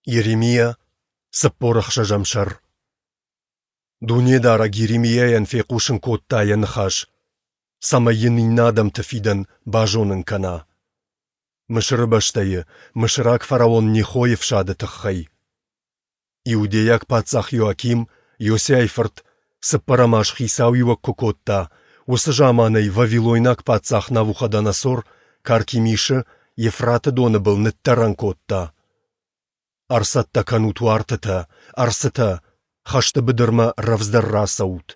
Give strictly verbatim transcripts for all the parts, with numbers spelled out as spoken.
Йеремиа, цыппор ӕхсӕзӕм сӕр. Дунедарӕг Йеремиайӕн фехъусын кодта Йӕ ныхас, цӕмӕй йын иннӕ адӕмты фидӕн базонын кӕна. Мысыры бӕстӕйы, мысыраг фараон Нехойы фсады тыххӕй. Иудейаг паддзах Иоаким, Иосиайы фырт, цыппӕрӕм аз хицауиуӕг куы кодта, уыцы заман ӕй вавилойнаг паддзах Навуходоносор Каркемишы, Евфраты доны был, ныддӕрӕн кодта. Ӕрцӕттӕ кӕнут уартытӕ, ӕрцытӕ, хӕсты быдырмӕ рӕвдздӕр рацӕут.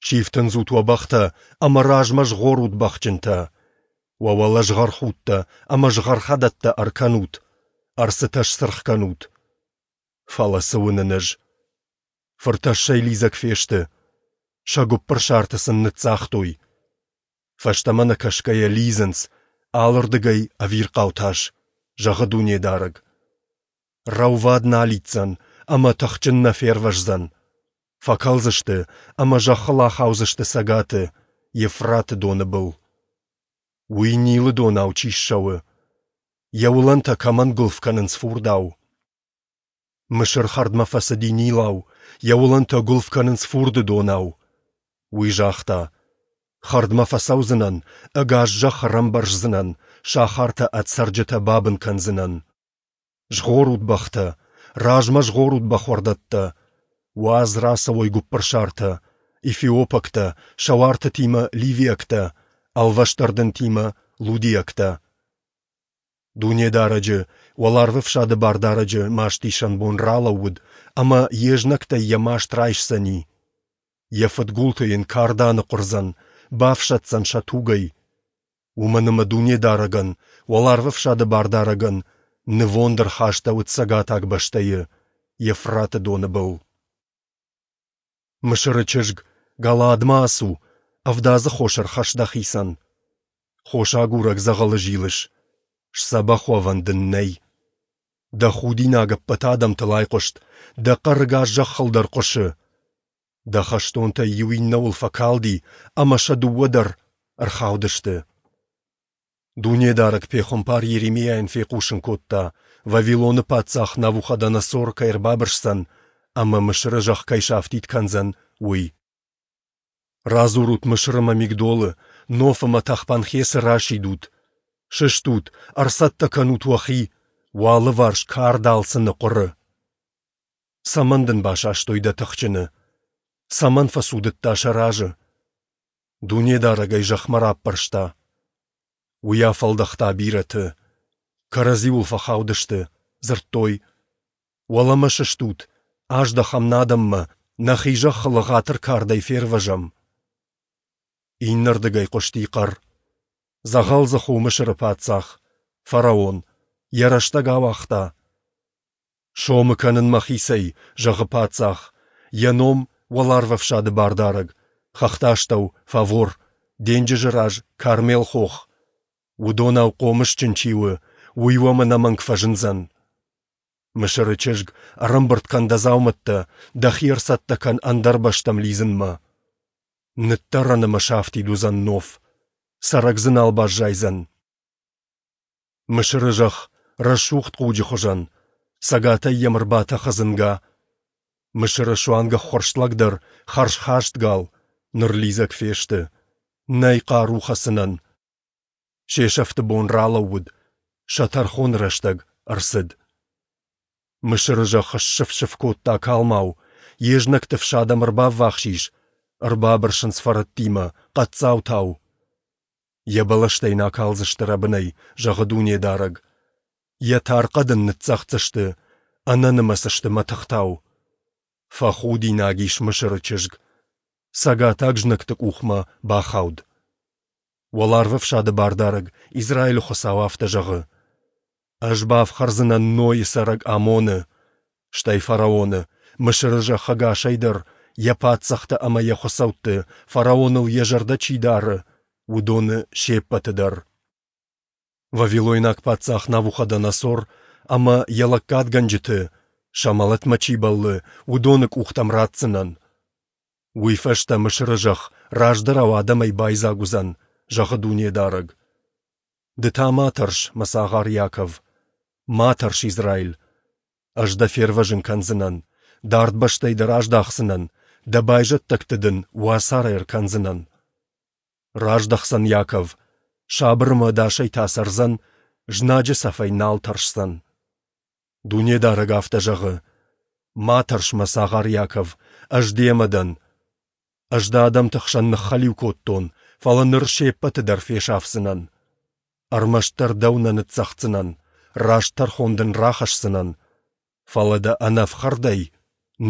Сифтындзут уӕ бӕхтӕ ӕмӕ размӕ згъорут бӕхджынтӕ. Уӕ уӕлӕ згъӕрхудтӕ ӕмӕ згъӕрхӕдӕттӕ ӕркӕнут, ӕрцытӕ сцыргъ кӕнут. Фӕлӕ цы уынын ӕз? Фыртӕссӕй лидзӕг фесты. Сӕ гуыппырсарты сын ныццагътой. Фӕстӕмӕ нӕ кӕсгӕйӕ лидзынц, алырдыгӕй ӕвирхъау тас, зӕгъы Дунедарӕг. Рӕувад нӕ алидздзӕн ӕмӕ тыхджын нӕ фервӕздзӕн. Фӕкӕлдзысты ӕмӕ зӕххыл ахаудзысты цӕгаты, Евфраты доны был. Уый Нилы донау чи ссӕуы, йӕ уылӕнтӕ кӕмӕн гуылф кӕнынц фурдау. Мысыр хӕрдмӕ фӕцыди Нилау, йӕ уылӕнтӕ гуылф кӕнынц фурды донау. Уый загъта: Хӕрдмӕ фӕцӕудзынӕн, ӕгас зӕхх ӕрӕмбӕрздзынӕн, сахартӕ ӕд цӕрджытӕ бабын кӕндзынӕн. Згъорут, бӕхтӕ! Размӕ згъорут, бӕхуӕрдӕттӕ! Уадз рацӕуой гуыппырсартӕ, эфиопӕгтӕ, сӕ уартытимӕ ливиӕгтӕ, ӕлвӕст ӕрдынтимӕ лудиӕгтӕ. Дунедарӕджы, Уӕларвӕфсады Бардарӕджы мастисӕн бон ралӕууыд, ӕмӕ йе знӕгтӕй йӕ маст райсдзӕни. Йӕ фыдгулты йын кард аныхъуырдзӕн, бафсаддзӕн сӕ тугӕй. Уымӕн ӕмӕ Дунедарӕгӕн, Уӕларвӕфсады Бардарӕгӕн, нывонд ӕрхастӕуыд цӕгатаг бӕстӕйы, Евфраты доны был. Мысыры чызг, Галаадмӕ ацу, ӕвдадзы хос ӕрхӕсс дӕхицӕн. Хос агурӕг дзӕгъӕлы зилыс, сдзӕбӕх уӕвӕн дын нӕй. Дӕ худинаг ӕппӕт адӕмтыл айхъуыст, дӕ хъӕр ӕгас зӕххыл дӕр хъуысы. Дӕ хӕстонтӕй иу иннӕуыл фӕкалди, ӕмӕ сӕ дыууӕ дӕр ӕрхаудысты. Дунедарӕг пехуымпар Йеремиайӕн фехъусын кодта, Вавилоны паддзах Навуходоносор кӕй ӕрбабырсдзӕн ӕмӕ Мысыры зӕхх кӕй сафтид кӕндзӕн, уый. Радзурут Мысыры ӕмӕ Мигдолы, Ноф ӕмӕ Тахпанхесы расидут. Сыстут, ӕрцӕттӕ кӕнут уӕхи, уӕ алыварс кард алцы ныхъуыры. Цӕмӕн дын басастой дӕ тыхджыны? Цӕмӕн фӕцудыдта сӕ разы? Дунедарӕг ӕй зӕхмӕ раппӕрста. Уый афӕлдӕхта бирӕты. Кӕрӕдзиуыл фӕхаудысты, дзырдтой: Уӕлӕмӕ сыстут, аздӕхӕм нӕ адӕммӕ, нӕхи зӕххыл ӕгъатыр кардӕй фервӕзӕм. Иннӕрдыгӕй хъуысти хъӕр: Дзӕгъӕлдзых у Мысыры паддзах, фараон, йӕ рӕстӕг ауагъта. Сомы кӕнын мӕхицӕй, зӕгъы паддзах, йӕ ном Уӕларвӕфсады Бардарӕг, хӕхты астӕу Фавор, денджызы раз Кармел-хох. Уыдонау хъомысджын чи у, уый уӕм ӕнӕмӕнг фӕзындзӕн. Мысыры чызг, ӕрӕмбырд кӕн дӕ дзаумӕттӕ, дӕхи ӕрцӕттӕ кӕн ӕндӕр бӕстӕм лидзынмӕ. Ныддӕрӕн ӕмӕ сафтид уыдзӕн Ноф, цӕрӕг дзы нал баззайдзӕн. Мысыры зӕхх рӕсугъд хъуджы хуызӕн, цӕгатӕй йӕм ӕрбатӕхы дзынга. Мысыры суанг ӕххуырст лӕг дӕр хӕрзхаст гал, ныр лидзӕг фесты, нӕй хъару хӕцынӕн. Се сӕфты бон ралӕууыд, сӕ тӕрхоны рӕстӕг ӕрцыд. Мысыры зӕхх ссыф-сыф кодта калмау, йе знӕгты фсад ӕм ӕрбаввахс ис, ӕрбабырсынц фӕрӕттимӕ, хъӕддзаутау. Йӕ бӕлӕстӕ йын акалдзысты рӕбынӕй, зӕгъы Дунедарӕг. Йӕ тар хъӕд ын ныццӕгъддзысты, ӕнӕнымӕц сты мӕтыхтау. Фӕхудинаг ис Мысыры чызг, цӕгатаг знӕгты къухмӕ бахауд. Уӕларвӕфсады Бардарӕг, Израилы Хуыцау афтӕ зӕгъы: Ӕз бафхӕрдзынӕн Нойы цӕрӕг Амоны, стӕй фараоны, Мысыры зӕхх ӕгасӕй дӕр, йӕ паддзӕхтӕ ӕмӕ йӕ хуыцӕутты, фараоныл йӕ зӕрдӕ чи дары, уыдоны се ппӕты дӕр. Вавилойнаг паддзах Навуходоносор ӕмӕ йӕ лӕггадгӕнджыты, сӕ мӕлӕтмӕ чи бӕллы, уыдоны къухтӕм ратдзынӕн. Уый фӕстӕ Мысыры зӕхх раздӕрау адӕмӕй байдзаг уыдзӕн, зӕгъы Дунедарӕг. Ды та ма тӕрс, мӕ цагъар Иаков, ма тӕрс, Израиль! Ӕз дӕ фервӕзын кӕндзынӕн, дард бӕстӕй дӕ раздахдзынӕн, дӕ байзӕддӕгты дын уацары ӕркӕндзынӕн. Раздӕхдзӕн Иаков, сабыр ӕмӕ ӕдасӕй та цӕрдзӕн, знаджы цӕфӕй нал тӕрсдзӕн. Дунедарӕг афтӕ зӕгъы: Ма тӕрс, мӕ цагъар Иаков, Ӕз демӕ дӕн. Ӕз дӕ адӕмты хсӕн ныххӕлиу кодтон, фӕлӕ ныр се ппӕты дӕр фесафдзынӕн. Ӕрмӕстдӕр дӕу нӕ ныццӕгъддзынӕн, раст тӕрхон дын рахӕсдзынӕн, фӕлӕ дӕ ӕнӕ ӕфхӕрдӕй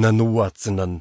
нӕ ныууадздзынӕн.